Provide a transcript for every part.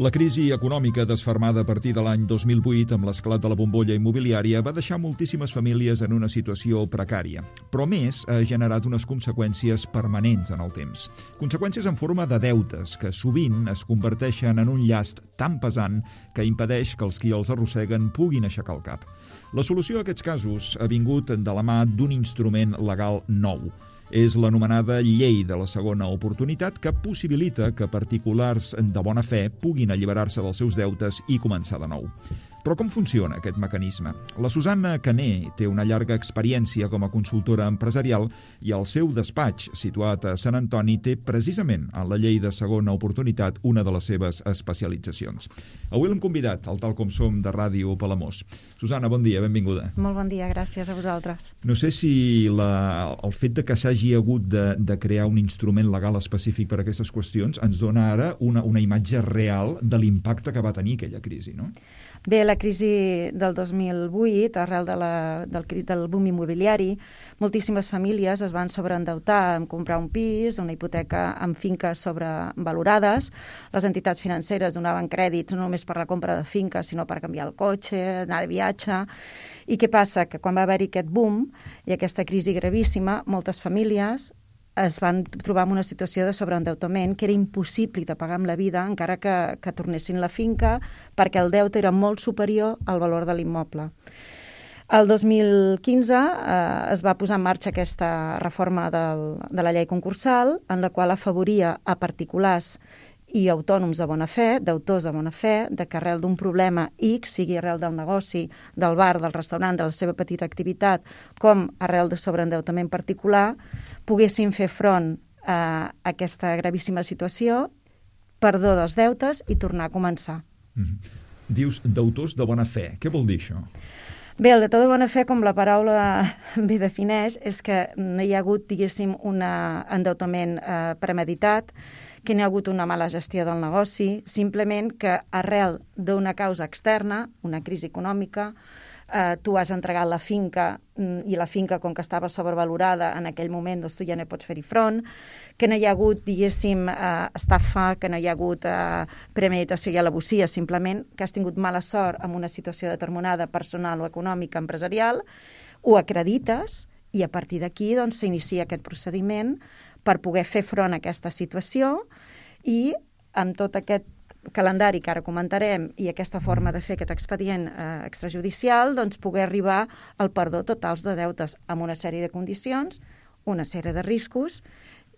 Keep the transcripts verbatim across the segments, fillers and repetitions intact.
La crisi econòmica desfermada a partir de l'any dos mil vuit amb l'esclat de la bombolla immobiliària va deixar moltíssimes famílies en una situació precària, però més ha generat unes conseqüències permanents en el temps. Conseqüències en forma de deutes que sovint es converteixen en un llast tan pesant que impedeix que els qui els arrosseguen puguin aixecar el cap. La solució a aquests casos ha vingut de la mà d'un instrument legal nou. És l'anomenada Llei de la Segona Oportunitat, que possibilita que particulars de bona fe puguin alliberar-se dels seus deutes i començar de nou. Però com funciona aquest mecanisme? La Susanna Cané té una llarga experiència com a consultora empresarial i el seu despatx, situat a Sant Antoni, té precisament en la Llei de Segona Oportunitat una de les seves especialitzacions. Avui l'hem convidat al Tal Com Som de Ràdio Palamós. Susanna, bon dia, benvinguda. Molt bon dia, gràcies a vosaltres. No sé si la, el fet de que s'hagi hagut de, de crear un instrument legal específic per a aquestes qüestions ens dona ara una, una imatge real de l'impacte que va tenir aquella crisi, no? Bé, la crisi del dos mil vuit, arrel de la, del, del boom immobiliari, moltíssimes famílies es van sobreendeutar en comprar un pis, una hipoteca amb finques sobrevalorades. Les entitats financeres donaven crèdits no només per la compra de finques, sinó per canviar el cotxe, anar de viatge. I què passa? Que quan va haver-hi aquest boom i aquesta crisi gravíssima, moltes famílies es van trobar en una situació de sobreendeutament que era impossible de pagar amb la vida encara que, que tornessin la finca perquè el deute era molt superior al valor de l'immoble. El dos mil quinze eh, es va posar en marxa aquesta reforma del, de la llei concursal en la qual afavoria a particulars i autònoms de bona fe, d'autors de bona fe, de que arrel d'un problema X, sigui arrel del negoci, del bar, del restaurant, de la seva petita activitat, com arrel de sobreendeutament particular, poguessin fer front a aquesta gravíssima situació, perdó dels deutes i tornar a començar. Mm-hmm. Dius d'autors de bona fe. Què vol dir això? Bé, el deutor de bona fe, com la paraula bé defineix, és que no hi ha hagut, diguéssim, un endeutament eh, premeditat, que n'hi ha hagut una mala gestió del negoci, simplement que arrel d'una causa externa, una crisi econòmica, eh, tu has entregat la finca i la finca, com que estava sobrevalorada en aquell moment, doncs tu ja no pots fer-hi front, que no hi ha hagut, diguéssim, eh, estafa, que no hi ha hagut eh, premeditació i alabosia, simplement que has tingut mala sort en una situació determinada personal o econòmica, empresarial, ho acredites i a partir d'aquí doncs, s'inicia aquest procediment per poder fer front a aquesta situació i amb tot aquest calendari que ara comentarem i aquesta forma de fer aquest expedient eh, extrajudicial, doncs poder arribar al perdó totals de deutes amb una sèrie de condicions, una sèrie de riscos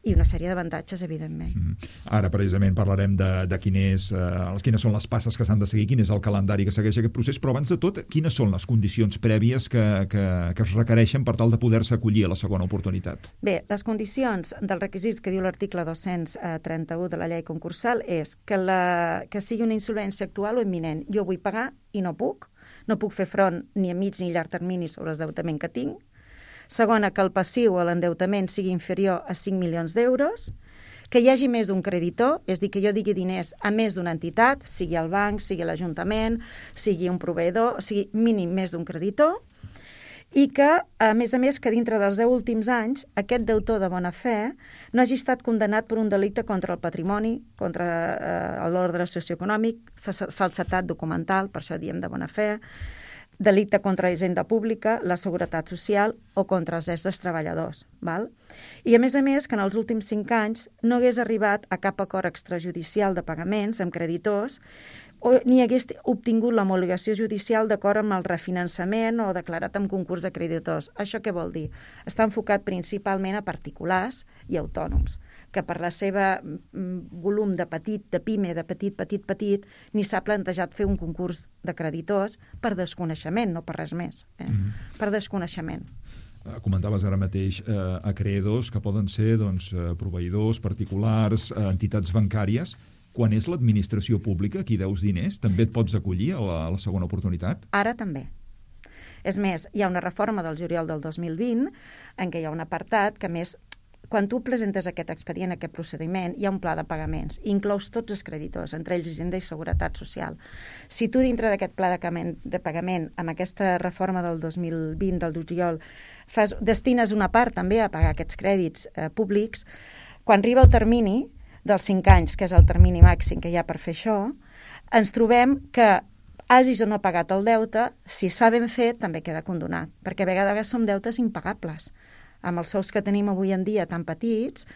i una sèrie d'avantatges, evidentment. Mm. Ara, precisament, parlarem de, de quin és, eh, quines són les passes que s'han de seguir, quin és el calendari que segueix aquest procés, però abans de tot, quines són les condicions prèvies que, que, que es requereixen per tal de poder-se acollir a la segona oportunitat? Bé, les condicions dels requisits que diu l'article dos-cents trenta-u de la llei concursal és que, la, que sigui una insolvència actual o imminent. Jo vull pagar i no puc, no puc fer front ni a mig ni a llarg termini sobre l'endeutament que tinc. Segona, que el passiu o l'endeutament sigui inferior a cinc milions d'euros, que hi hagi més d'un creditor, és dir, que jo digui diners a més d'una entitat, sigui el banc, sigui l'Ajuntament, sigui un proveïdor, o sigui, mínim més d'un creditor, i que, a més a més, que dintre dels deu últims anys, aquest deutor de bona fe no hagi estat condemnat per un delicte contra el patrimoni, contra eh, l'ordre socioeconòmic, falsetat documental, per això diem de bona fe, delicte contra la hisenda pública, la seguretat social o contra els drets dels treballadors. Val? I a més a més que en els últims cinc anys no hagués arribat a cap acord extrajudicial de pagaments amb creditors o ni hagués obtingut l'homologació judicial d'acord amb el refinançament o declarat en concurs de creditors. Això què vol dir? Està enfocat principalment a particulars i autònoms, que per la seva volum de petit, de pime, de petit, petit, petit, ni s'ha plantejat fer un concurs de creditors per desconeixement, no per res més, eh? Mm-hmm. Per desconeixement. Comentaves ara mateix eh, acreedors que poden ser doncs, proveïdors, particulars, eh, entitats bancàries. Quan és l'administració pública qui deus diners, també et pots acollir a la, a la segona oportunitat? Ara també. És més, hi ha una reforma del juliol del dos mil vint en què hi ha un apartat que, més, quan tu presentes aquest expedient, aquest procediment, hi ha un pla de pagaments, inclous tots els creditors, entre ells Hisenda i Seguretat Social. Si tu dintre d'aquest pla de pagament, de pagament amb aquesta reforma del dos mil vint, del juliol, fas, destines una part també a pagar aquests crèdits eh, públics, quan arriba el termini dels cinc anys, que és el termini màxim que hi ha per fer això, ens trobem que hagis o no pagat el deute, si es fa ben fet, també queda condonat, perquè a vegades som deutes impagables. Amb els sous que tenim avui en dia tan petits,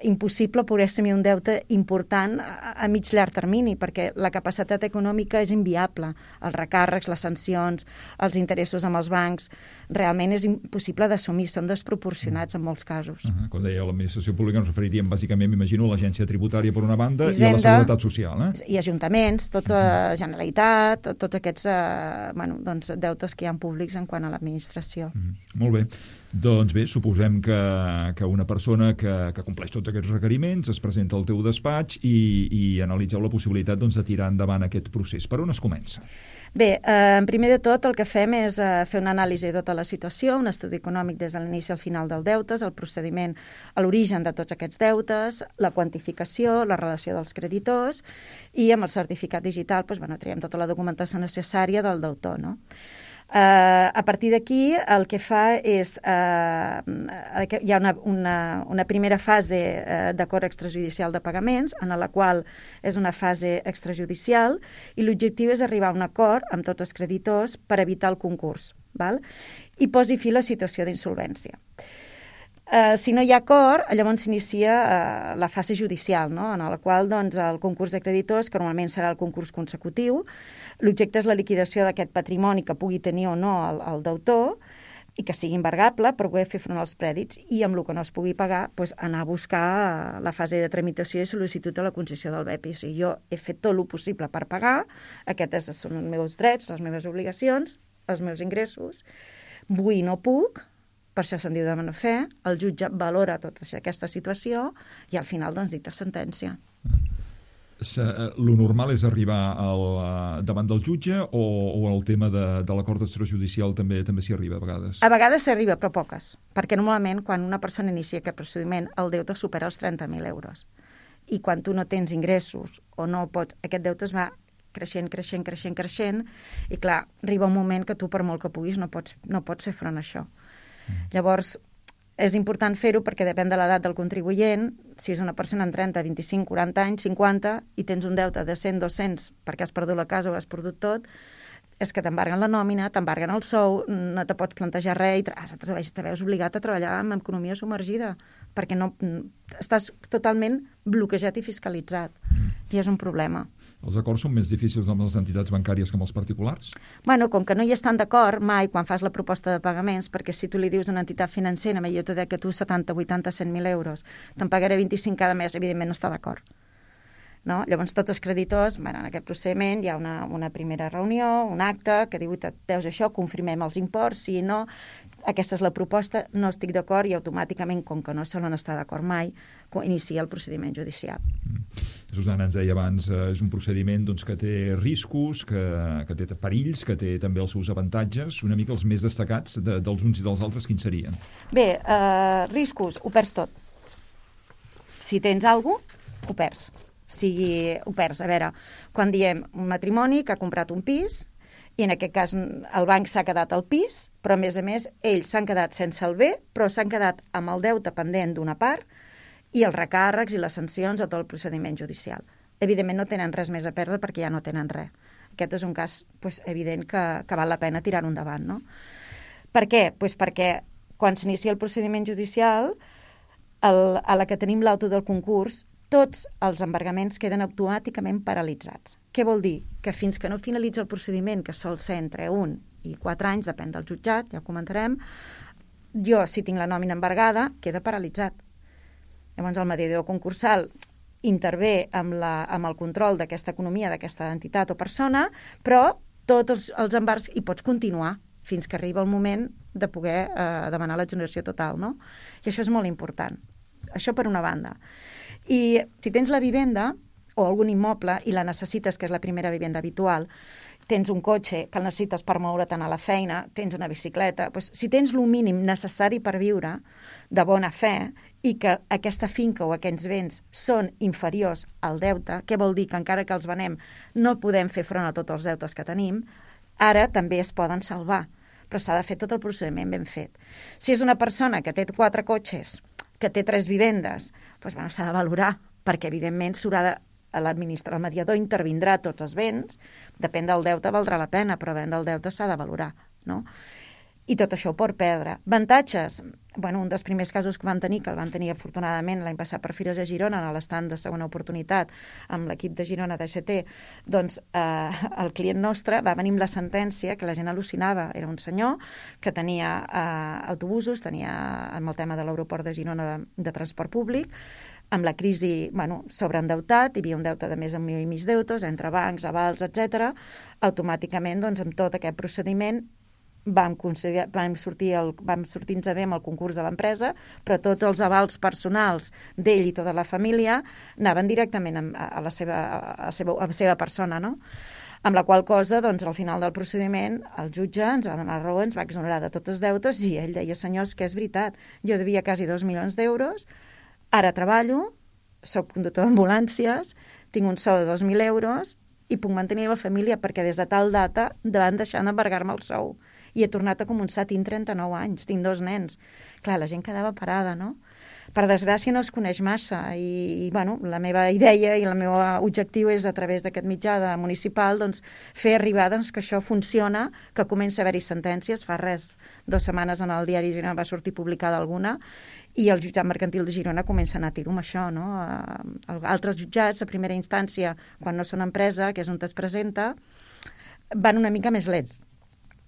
impossible poder assumir un deute important a, a mig llarg termini, perquè la capacitat econòmica és inviable. Els recàrrecs, les sancions, els interessos amb els bancs, realment és impossible d'assumir, són desproporcionats en molts casos. Uh -huh. Com deia, l'administració pública ens referiríem bàsicament, m'imagino, a l'agència tributària per una banda Hisenda, i a la Seguretat Social. Eh? I ajuntaments, tota la Generalitat, tots aquests eh, bueno, doncs, deutes que hi ha públics en quant a l'administració. Uh -huh. Molt bé. Doncs bé, suposem que, que una persona que, que compleix tots aquests requeriments es presenta al teu despatx i, i analitzeu la possibilitat doncs, de tirar endavant aquest procés. Per on es comença? Bé, eh, en primer de tot el que fem és eh, fer una anàlisi de tota la situació, un estudi econòmic des de l'inici al final dels deutes, el procediment a l'origen de tots aquests deutes, la quantificació, la relació dels creditors i amb el certificat digital doncs, bueno, traiem tota la documentació necessària del deutor, no? Uh, a partir d'aquí el que fa és uh, hi ha una, una, una primera fase uh, d'acord extrajudicial de pagaments en la qual és una fase extrajudicial i l'objectiu és arribar a un acord amb tots els creditors per evitar el concurs, val? I posi fi a la situació d'insolvència. Uh, si no hi ha acord, llavors s'inicia uh, la fase judicial, no? En la qual doncs, el concurs de creditors, que normalment serà el concurs consecutiu, l'objecte és la liquidació d'aquest patrimoni que pugui tenir o no el, el deutor i que sigui embargable per poder fer front als crèdits i amb el que no es pugui pagar doncs, anar a buscar la fase de tramitació i sol·licitud de la concessió del B E P I. O sigui, jo he fet tot el possible per pagar, aquests són els meus drets, les meves obligacions, els meus ingressos, vull i no puc, per això se'n diu de bona fe, el jutge valora tota aquesta situació i al final doncs dicta sentència. Lo normal és arribar al, davant del jutge o, o el tema de, de l'acord extrajudicial també també s'hi arriba a vegades? A vegades s'arriba, però poques, perquè normalment quan una persona inicia aquest procediment el deute supera els trenta mil euros i quan tu no tens ingressos o no pots, aquest deute es va creixent, creixent, creixent, creixent i clar, arriba un moment que tu per molt que puguis no pots, no pots fer front a això. Llavors, és important fer-ho perquè depèn de l'edat del contribuent. Si és una persona en trenta, vint-i-cinc, quaranta anys, cinquanta, i tens un deute de cent, dos-cents perquè has perdut la casa o has perdut tot, és que t'embarguen la nòmina, t'embarguen el sou, no te pots plantejar res i te veus obligat a treballar amb economia submergida perquè no, estàs totalment bloquejat i fiscalitzat. I és un problema. Els acords són més difícils amb les entitats bancàries que amb els particulars? Bueno, com que no hi estan d'acord mai quan fas la proposta de pagaments, perquè si tu li dius a una entitat financera, jo t'he dit que tu setanta, vuitanta, cent mil euros, te'n pagaré vint-i-cinc cada mes, evidentment no està d'acord. No? Llavors, tots els creditors, bueno, en aquest procediment hi ha una, una primera reunió, un acte, que diu, deus això, confirmem els imports, sí i no, aquesta és la proposta, no estic d'acord i automàticament, com que no solen estar d'acord mai, inicia el procediment judicial. Mm. Susana ens deia abans, eh, és un procediment doncs, que té riscos, que, que té perills, que té també els seus avantatges, una mica els més destacats de, dels uns i dels altres, quins serien? Bé, eh, riscos, ho perds tot. Si tens alguna cosa, ho perds. sigui, ho perds. A veure, quan diem un matrimoni que ha comprat un pis i en aquest cas el banc s'ha quedat al pis, però a més a més ells s'han quedat sense el bé, però s'han quedat amb el deute pendent d'una part i els recàrrecs i les sancions o tot el procediment judicial. Evidentment no tenen res més a perdre perquè ja no tenen res. Aquest és un cas pues, evident que, que val la pena tirar-ho endavant. No? Per què? Pues perquè quan s'inicia el procediment judicial, el, a la que tenim l'auto del concurs, tots els embargaments queden automàticament paralitzats. Què vol dir? Que fins que no finalitza el procediment, que sol ser entre un i quatre anys, depèn del jutjat, ja ho comentarem, jo, si tinc la nòmina embargada, queda paralitzat. Llavors, el mediador concursal intervé amb, la, amb el control d'aquesta economia, d'aquesta entitat o persona, però tots els, els embargs hi pots continuar fins que arriba el moment de poder eh, demanar la generació total, no? I això és molt important. Això per una banda. I si tens la vivenda o algun immoble i la necessites, que és la primera vivenda habitual, tens un cotxe que el necessites per moure't a la feina, tens una bicicleta, doncs, si tens el mínim necessari per viure de bona fe i que aquesta finca o aquests béns són inferiors al deute, què vol dir? Que encara que els venem no podem fer front a tots els deutes que tenim, ara també es poden salvar, però s'ha de fer tot el procediment ben fet. Si és una persona que té quatre cotxes, que té tres vivendes, doncs, bueno, s'ha de valorar, perquè evidentment s'haurà de l'administrador, el mediador intervindrà tots els béns, depèn del deute, valdrà la pena, però depèn del deute s'ha de valorar, no? I tot això ho pot perdre. Avantatges? Bueno, un dels primers casos que vam tenir, que el van tenir afortunadament l'any passat per Fires de Girona, a l'estand de segona oportunitat, amb l'equip de Girona d'A C T, doncs eh, el client nostre va venir amb la sentència que la gent al·lucinava. Era un senyor que tenia eh, autobusos, tenia amb el tema de l'aeroport de Girona de, de transport públic, amb la crisi, bueno, sobreendeutat, hi havia un deute de més d'un milió i mig d'euros, entre bancs, avals, etcètera. Automàticament, doncs, amb tot aquest procediment, vam, vam sortir el, vam sortir-nos bé amb el concurs de l'empresa, però tots els avals personals d'ell i tota la família anaven directament a, a, la, seva, a, la, seva, a la seva persona, no? Amb la qual cosa, doncs, al final del procediment, el jutge ens va donar raó, ens va exonerar de tots els deutes i ell deia, senyors, que és veritat, jo devia quasi dos milions d'euros, ara treballo, soc conductor d'ambulàncies, tinc un sou de dos mil euros i puc mantenir la família perquè des de tal data van deixar d'embargar-me el sou. I he tornat a començar, tinc trenta-nou anys, tinc dos nens. Clar, la gent quedava parada, no? Per desgràcia no es coneix massa i, i bueno, la meva idea i el meu objectiu és a través d'aquest mitjà de municipal doncs, fer arribar doncs, que això funciona, que comença a haver-hi sentències, fa res, dues setmanes en el diari Girona va sortir publicada alguna i el jutjat mercantil de Girona comença a anar a tiro amb això, no? Altres jutjats, a primera instància, quan no són empresa, que és on es presenta, van una mica més lents.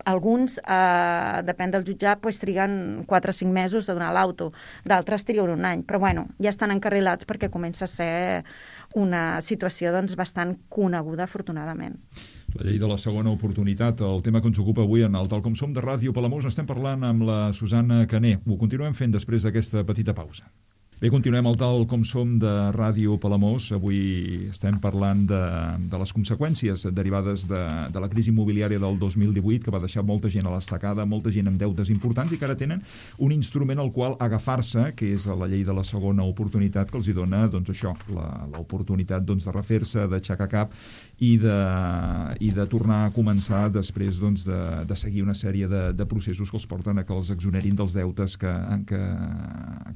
Alguns, eh, depèn del jutjat, pues, triguen quatre o cinc mesos a donar l'auto, d'altres triguen un any, però bueno, ja estan encarrilats perquè comença a ser una situació doncs, bastant coneguda, afortunadament. La llei de la segona oportunitat, el tema que ens ocupa avui en el Tal Com Som de Ràdio Palamós, estem parlant amb la Susana Caner. Ho continuem fent després d'aquesta petita pausa. Bé, continuem el Tal Com Som de Ràdio Palamós. Avui estem parlant de, de les conseqüències derivades de, de la crisi immobiliària del dos mil divuit, que va deixar molta gent a l'estacada, molta gent amb deutes importants i que ara tenen un instrument al qual agafar-se, que és la llei de la segona oportunitat, que els hi dona doncs, això, l'oportunitat doncs, de refer-se, d'aixecar cap i de, i de tornar a començar després doncs, de, de seguir una sèrie de, de processos que els porten a que els exonerin dels deutes que, que,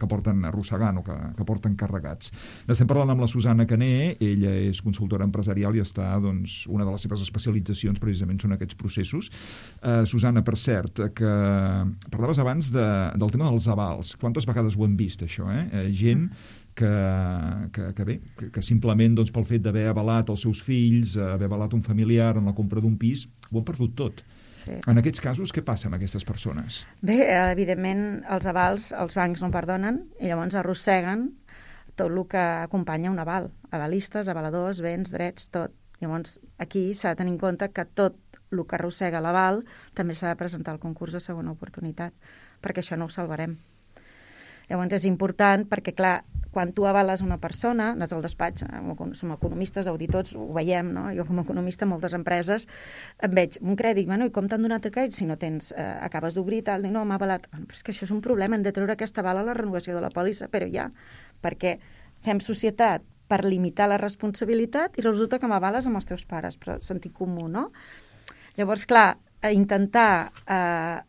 que porten arrossegant o que, que porten carregats. Estem parlant amb la Susana Caner, ella és consultora empresarial i està, doncs, una de les seves especialitzacions precisament són aquests processos. Uh, Susana, per cert, que parlaves abans de, del tema dels avals. Quantes vegades ho hem vist, això, eh? eh gent que, que, que bé, que, que simplement doncs, pel fet d'haver avalat els seus fills, haver avalat un familiar en la compra d'un pis, ho han perdut tot. Sí. En aquests casos, què passa amb aquestes persones? Bé, evidentment, els avals els bancs no perdonen i llavors arrosseguen tot el que acompanya un aval. Avalistes, avaladors, béns, drets, tot. Llavors, aquí s'ha de tenir en compte que tot el que arrossega l'aval també s'ha de presentar al concurs de segona oportunitat, perquè això no ho salvarem. Llavors és important perquè, clar, quan tu avales una persona, nosaltres al despatx, som economistes, auditors, ho veiem, no? Jo com a economista, moltes empreses, em veig un crèdit, bueno, i com t'han donat el crèdit si no tens, eh, acabes d'obrir i tal, no, m'ha avalat. Bueno, però és que això és un problema, hem de treure aquesta aval a la renovació de la pòlissa, però ja, perquè fem societat per limitar la responsabilitat i resulta que m'avales amb els teus pares, però sentit comú, no? Llavors, clar, intentar eh,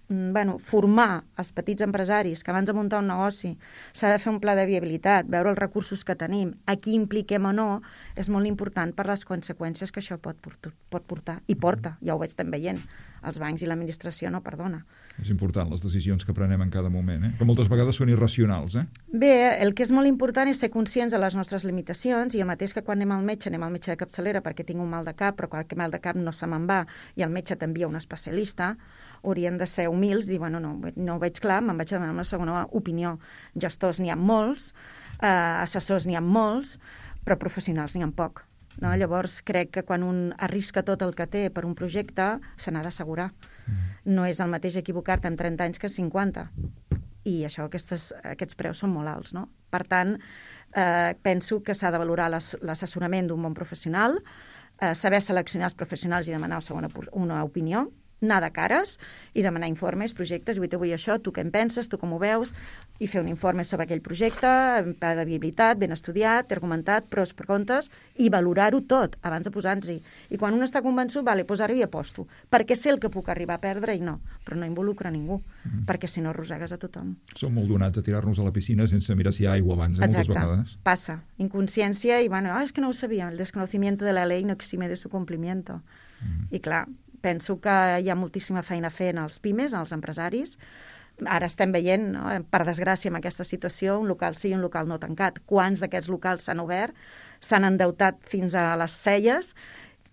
bueno, formar els petits empresaris que abans de muntar un negoci s'ha de fer un pla de viabilitat, veure els recursos que tenim, a qui impliquem o no, és molt important per les conseqüències que això pot, pot portar. I porta, ja ho estem veient. Els bancs i l'administració no perdona. És important, les decisions que prenem en cada moment, eh? Que moltes vegades són irracionals, eh? Bé, el que és molt important és ser conscients de les nostres limitacions i el mateix que quan anem al metge, anem al metge de capçalera perquè tinc un mal de cap, però qualque mal de cap no se me'n va i el metge t'envia un especialista, haurien de ser humils, dir, bueno, no, no ho veig clar, me'n vaig demanar una segona opinió. Gestors n'hi ha molts, eh, assessors n'hi ha molts, però professionals n'hi ha poc. No? Llavors, crec que quan un arrisca tot el que té per un projecte, se n'ha d'assegurar. No és el mateix equivocar-te en trenta anys que cinquanta. I això, aquestes, aquests preus són molt alts. No? Per tant, eh, penso que s'ha de valorar l'assessorament d'un bon professional, eh, saber seleccionar els professionals i demanar segona, una opinió, anar de cares i demanar informes, projectes, i vull això, tu què en penses, tu com ho veus, i fer un informe sobre aquell projecte, pla de viabilitat, ben estudiat, argumentat, pros, per comptes, i valorar-ho tot abans de posar-nos-hi. I quan un està convençut, vale, doncs ara hi aposto, perquè sé el que puc arribar a perdre i no, però no involucra ningú, mm. perquè si no arrossegues a tothom. Som molt donats a tirar-nos a la piscina sense mirar si hi ha aigua abans, eh, moltes vegades. Exacte, passa. Inconsciència i, bueno, ah, és que no ho sabia, el desconocimiento de la ley no exime de su cumplimiento. Mm. I clar, penso que hi ha moltíssima feina a fer en els pimes, en els empresaris. Ara estem veient, no? Per desgràcia, amb aquesta situació, un local sí i un local no tancat. Quants d'aquests locals s'han obert, s'han endeutat fins a les celles,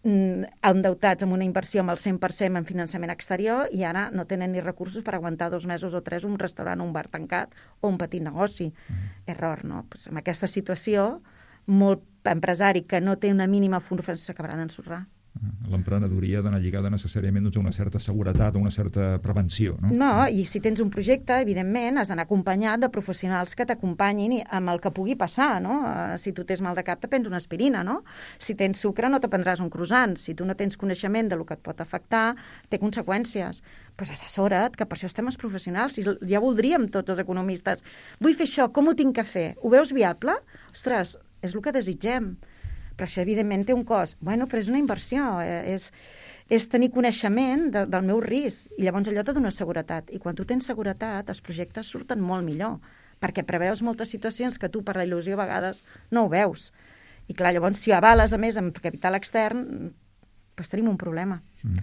endeutats amb una inversió amb el cent per cent en finançament exterior i ara no tenen ni recursos per aguantar dos mesos o tres un restaurant o un bar tancat o un petit negoci. Mm. Error, no? Pues en aquesta situació, molt empresari que no té una mínima formació s'acabarà d'ensorrar. L'emprenedoria ha d'anar lligada necessàriament doncs, a una certa seguretat, a una certa prevenció, no? No, i si tens un projecte, evidentment, has d'anar acompanyat de professionals que t'acompanyin amb el que pugui passar, no? Si tu tens mal de cap, te prens una aspirina, no? Si tens sucre, no te prendràs un croissant. Si tu no tens coneixement del que et pot afectar, té conseqüències. Doncs pues assessora't, que per això estem els professionals. Ja voldríem tots els economistes. Vull fer això, com ho tinc que fer? Ho veus viable? Ostres, és el que desitgem. Però això, evidentment, té un cost. Bueno, però és una inversió, és, és tenir coneixement de, del meu risc, i llavors allò te dona seguretat. I quan tu tens seguretat, els projectes surten molt millor, perquè preveus moltes situacions que tu, per la il·lusió, a vegades no ho veus. I clar, llavors, si avales, a més, amb capital extern, doncs tenim un problema. Mm.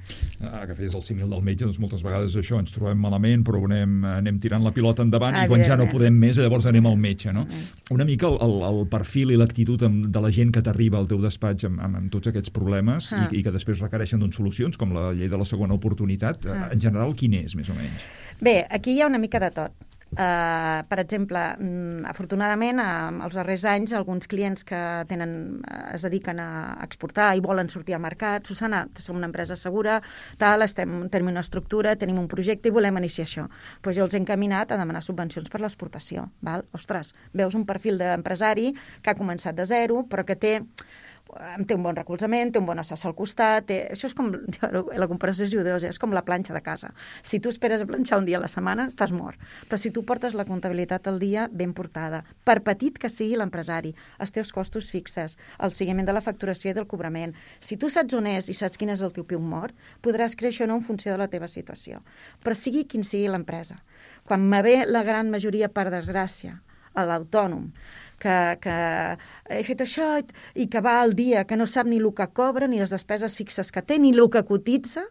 Ah, que feies el símil del metge, doncs moltes vegades això, ens trobem malament, però anem, anem tirant la pilota endavant i quan ja no podem més, llavors anem al metge, no? Mm. Una mica el, el, el perfil i l'actitud de la gent que t'arriba al teu despatx amb, amb, amb tots aquests problemes ah. i, i que després requereixen doncs, solucions, com la llei de la segona oportunitat, ah. en general, quin és, més o menys? Bé, aquí hi ha una mica de tot. Uh, per exemple, um, afortunadament, uh, als darrers anys, alguns clients que tenen, uh, es dediquen a exportar i volen sortir al mercat, Susana, som una empresa segura, tal, estem, tenim una estructura, tenim un projecte i volem iniciar això. Pues jo els he encaminat a demanar subvencions per l'exportació. Val? Ostres, veus un perfil d'empresari que ha començat de zero, però que té té un bon recolzament, té un bon assessor al costat, té... això és com, la comparació és judeosa, és com la planxa de casa. Si tu esperes a planxar un dia a la setmana, estàs mort. Però si tu portes la comptabilitat al dia ben portada, per petit que sigui l'empresari, els teus costos fixes, el seguiment de la facturació i del cobrament, si tu saps on és i saps quin és el teu piu mort, podràs créixer o no en funció de la teva situació. Però sigui quin sigui l'empresa. Quan me ve la gran majoria, per desgràcia, a l'autònom, Que, que he fet això i que va al dia, que no sap ni el que cobra, ni les despeses fixes que té, ni el que cotitza,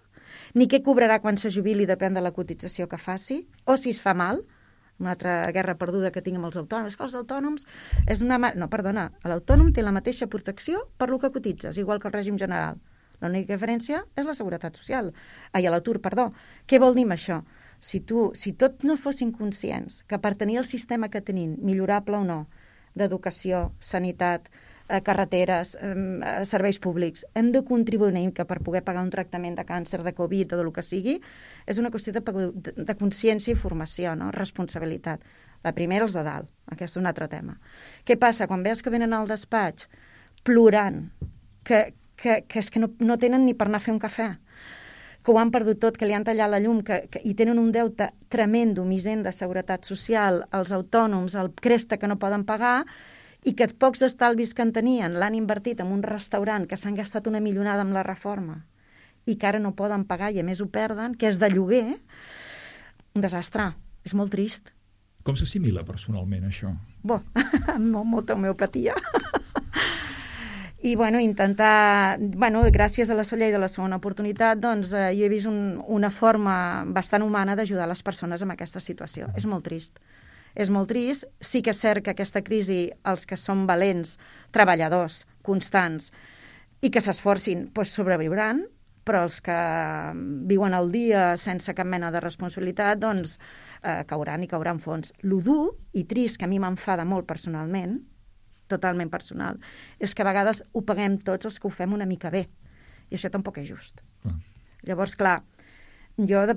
ni què cobrarà quan se jubili, depèn de la cotització que faci, o si es fa mal, una altra guerra perduda que tinc amb els autònoms, que els autònoms és una... No, perdona, l'autònom té la mateixa protecció per lo que cotitzes, igual que el règim general. L'única diferència és la seguretat social. Ai, a l'atur, perdó. Què vol dir amb això? Si tu, si tots no fossin conscients que per tenir el sistema que tenim, millorable o no, d'educació, sanitat, eh, carreteres, eh, serveis públics, hem de contribuir una mica per poder pagar un tractament de càncer, de Covid o del que sigui, és una qüestió de, de, de consciència i formació, no? Responsabilitat. La primera, els de dalt. Aquest és un altre tema. Què passa? Quan veus que venen al despatx plorant, que, que, que és que no, no tenen ni per anar a fer un cafè, que ho han perdut tot, que li han tallat la llum, que, que hi tenen un deute tremendo, misent de seguretat social, els autònoms, el cresta que no poden pagar, i que pocs estalvis que en tenien l'han invertit en un restaurant que s'han gastat una milionada amb la reforma i que ara no poden pagar i a més ho perden, que és de lloguer, un desastre. És molt trist. Com s'assimila personalment això? Bo, amb molta homeopatia. I, bueno, intentar... Bueno, gràcies a la llei de la segona oportunitat, doncs, eh, jo he vist un, una forma bastant humana d'ajudar les persones en aquesta situació. És molt trist. És molt trist. Sí que és cert que aquesta crisi, els que són valents, treballadors, constants, i que s'esforcin, doncs sobreviuran, però els que viuen el dia sense cap mena de responsabilitat, doncs, eh, cauran i cauran fons. Lo dur i trist, que a mi m'enfada molt personalment, totalment personal, és que a vegades ho paguem tots els que ho fem una mica bé. I això tampoc és just. Ah. Llavors, clar, jo de,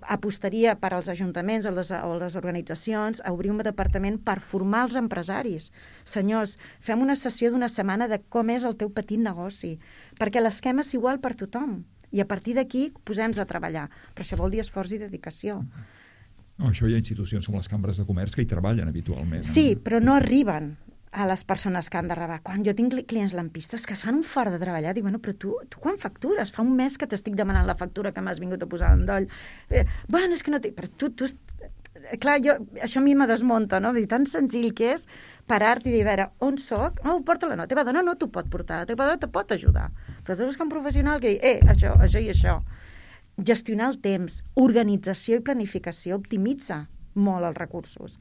apostaria per als ajuntaments o les, o les organitzacions a obrir un departament per formar els empresaris. Senyors, fem una sessió d'una setmana de com és el teu petit negoci, perquè l'esquema és igual per tothom. I a partir d'aquí posem-nos a treballar. Però això vol dir esforç i dedicació. No, això hi ha institucions com les cambres de comerç que hi treballen habitualment. Sí, però no arriben a les persones que han de rebar. Quan jo tinc clients lampistes que es fan un fart de treballar, dic, bueno, però tu, tu quan factures? Fa un mes que t'estic demanant la factura que m'has vingut a posar en doll. Eh, bueno, és que no... Però tu, tu... Clar, jo, això a mi me desmunta, no? Vull dir, tan senzill que és parar-te i dir, a veure, on soc? No, porta-la, no. La teva dona no t'ho pot portar, la teva dona te pot ajudar. Però tu és que un professional que diu, eh, això, això i això. Gestionar el temps, organització i planificació optimitza molt els recursos.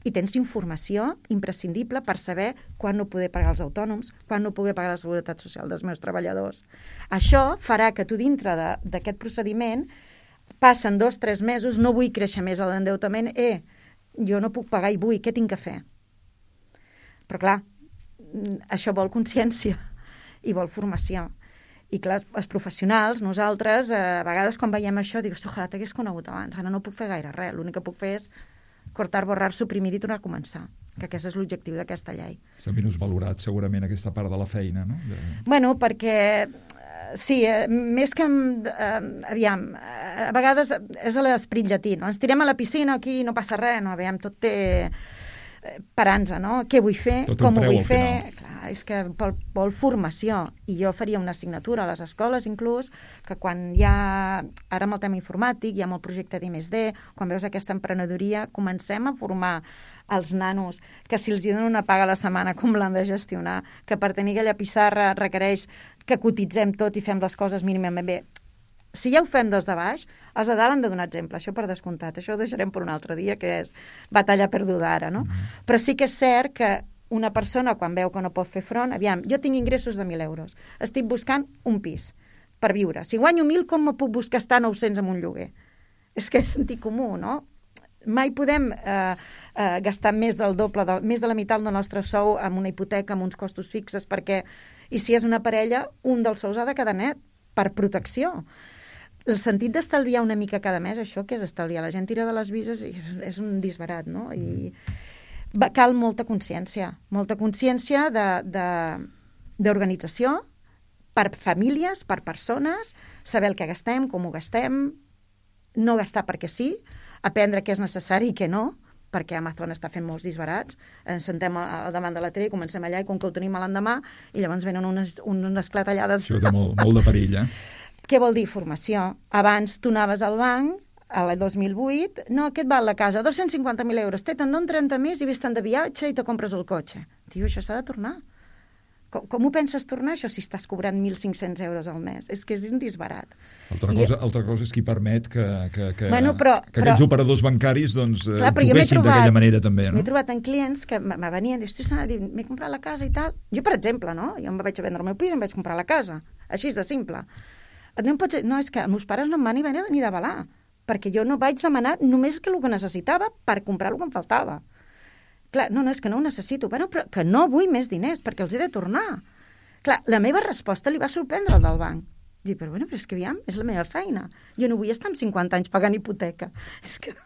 I tens informació imprescindible per saber quan no poder pagar els autònoms, quan no poder pagar la seguretat social dels meus treballadors. Això farà que tu dintre d'aquest procediment passen dos, tres mesos, no vull créixer més a l'endeutament, eh, jo no puc pagar i vull, què tinc que fer? Però clar, això vol consciència i vol formació. I clar, els professionals, nosaltres, a vegades quan veiem això, dius, ojalà t'hagués conegut abans, ara no puc fer gaire res, l'únic que puc fer és cortar, borrar, suprimir i tornar a començar, que aquest és l'objectiu d'aquesta llei. S'ha menys valorat segurament aquesta part de la feina, no? De... Bueno, perquè sí, eh, més que... Eh, aviam, eh, a vegades és l'esperit llatí, no? Ens tirem a la piscina, aquí no passa res, no? Aviam, tot té parança, no? Què vull fer? Tot com ho preu, vull fer? Clar, és que vol, vol formació. I jo faria una assignatura a les escoles, inclús, que quan hi ha... Ara amb el tema informàtic, hi ha el projecte d'I més D, quan veus aquesta emprenedoria, comencem a formar els nanos, que si els donen una paga a la setmana, com l'han de gestionar, que per tenir aquella pissarra requereix que cotitzem tot i fem les coses mínimament bé. Si ja ho fem des de baix, els de dalt han de donar exemple, això per descomptat. Això ho deixarem per un altre dia, que és batalla perduda ara, no? Mm-hmm. Però sí que és cert que una persona, quan veu que no pot fer front, aviam, jo tinc ingressos de mil euros, estic buscant un pis per viure. Si guanyo mil, com me puc buscar estar nou-cents amb un lloguer? És que és sentit comú, no? Mai podem eh, eh, gastar més del doble, del, més de la meitat del nostre sou amb una hipoteca, amb uns costos fixes, perquè, i si és una parella, un dels sous ha de quedar net, per protecció. El sentit d'estalviar una mica cada mes, això que és estalviar? La gent tira de les vises i és, és un disbarat, no? I va, cal molta consciència, molta consciència d'organització per famílies, per persones, saber el que gastem, com ho gastem, no gastar perquè sí, aprendre què és necessari i què no, perquè Amazon està fent molts disbarats, ens sentem al davant de la tele i comencem allà i com que ho tenim a l'endemà i llavors venen unes, unes clatellades. Això té molt, molt de perill, eh? Què vol dir formació? Abans tu anaves al banc, a l'any dos mil vuit, no, què et val la casa? dos-cents cinquanta mil euros, te te'n donen trenta més i vés-te'n de viatge i te compres el cotxe. Tio, això s'ha de tornar. Com, com ho penses tornar, això, si estàs cobrant mil cinc-cents euros al mes? És que és un disbarat. Altra cosa, I... altra cosa és qui permet que, que, que, bueno, però, que aquests però... operadors bancaris doncs, clar, juguessin d'aquella manera també. No? M'he trobat en clients que me venien i diuen, m'he comprat la casa i tal. Jo, per exemple, no? Jo em vaig a vendre el meu pis i em vaig comprar la casa. Així de simple. No, pots... no, és que els meus pares no em van ni venir ni d'avalar, perquè jo no vaig demanar només que el que necessitava per comprar el que em faltava. Clar, no, no, és que no ho necessito, bueno, però que no vull més diners perquè els he de tornar. Clar, la meva resposta li va sorprendre al del banc. Dic, però bueno, però és que aviam, és la meva feina. Jo no vull estar amb cinquanta anys pagant hipoteca. És que...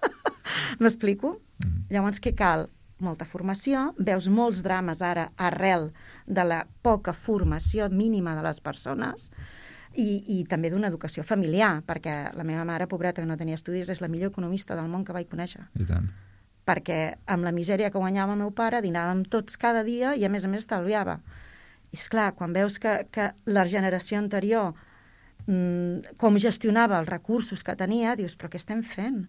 M'explico? Mm. Llavors, què cal? Molta formació, veus molts drames ara arrel de la poca formació mínima de les persones i, i també d'una educació familiar, perquè la meva mare, pobreta, que no tenia estudis, és la millor economista del món que vaig conèixer. I tant. Perquè amb la misèria que guanyava el meu pare dinàvem tots cada dia i a més a més estalviava. I esclar, quan veus que, que la generació anterior mmm, com gestionava els recursos que tenia, dius, però què estem fent?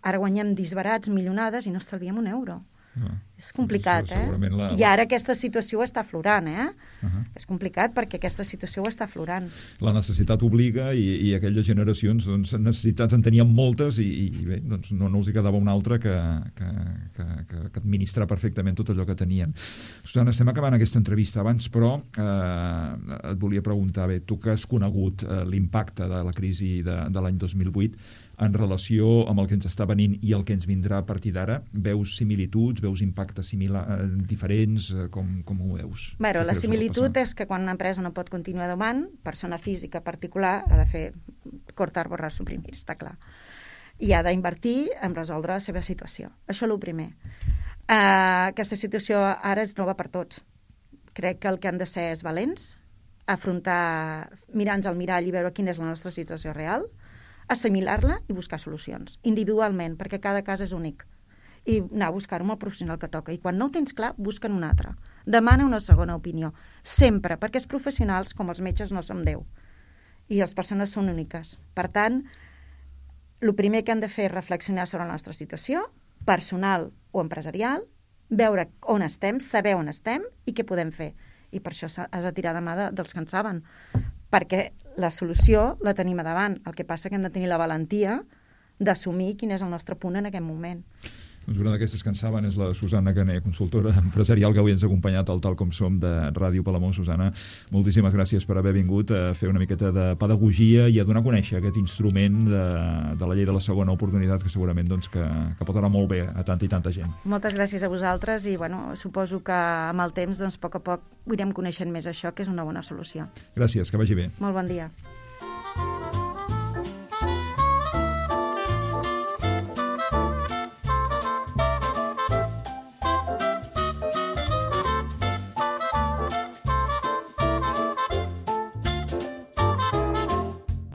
Ara guanyem disbarats, milionades i no estalviem un euro. No. És complicat, eh? La... I ara aquesta situació està aflorant, eh? Uh-huh. És complicat perquè aquesta situació ho està aflorant. La necessitat obliga i, i aquelles generacions, doncs, necessitats en tenien moltes i, i bé, doncs no, no els hi quedava una altra que, que, que, que, que administrar perfectament tot allò que tenien. Susana, estem acabant aquesta entrevista abans, però eh, et volia preguntar, bé, tu que has conegut eh, l'impacte de la crisi de, de l'any dos mil vuit, en relació amb el que ens està venint i el que ens vindrà a partir d'ara, veus similituds, veus impactes similars, diferents, com, com ho veus? Bueno, la similitud és que quan una empresa no pot continuar davant, persona física particular ha de fer cortar, borrar, suprimir, està clar. I ha d'invertir en resoldre la seva situació. Això és el primer. Uh, aquesta situació ara és nova per tots. Crec que el que han de ser és valents, afrontar, mirar-nos al mirall i veure quina és la nostra situació real, assimilar-la i buscar solucions, individualment, perquè cada cas és únic. I anar a buscar-ho amb el professional que toca. I quan no ho tens clar, busca'n un altre. Demana una segona opinió. Sempre, perquè els professionals, com els metges, no som Déu. I les persones són úniques. Per tant, el primer que han de fer és reflexionar sobre la nostra situació, personal o empresarial, veure on estem, saber on estem i què podem fer. I per això has de tirar de mà de, dels que en saben. Perquè la solució la tenim a davant. El que passa que hem de tenir la valentia d'assumir quin és el nostre punt en aquest moment. Doncs una d'aquestes que en saben és la Susana Cané, consultora empresarial que avui ens ha acompanyat al Tal Com Som de Ràdio Palamós. Susana, moltíssimes gràcies per haver vingut a fer una miqueta de pedagogia i a donar a conèixer aquest instrument de, de la llei de la segona oportunitat que segurament doncs, que, que pot anar molt bé a tanta i tanta gent. Moltes gràcies a vosaltres i bueno, suposo que amb el temps doncs, a poc a poc ho irem coneixent més això, que és una bona solució. Gràcies, que vagi bé. Molt bon dia.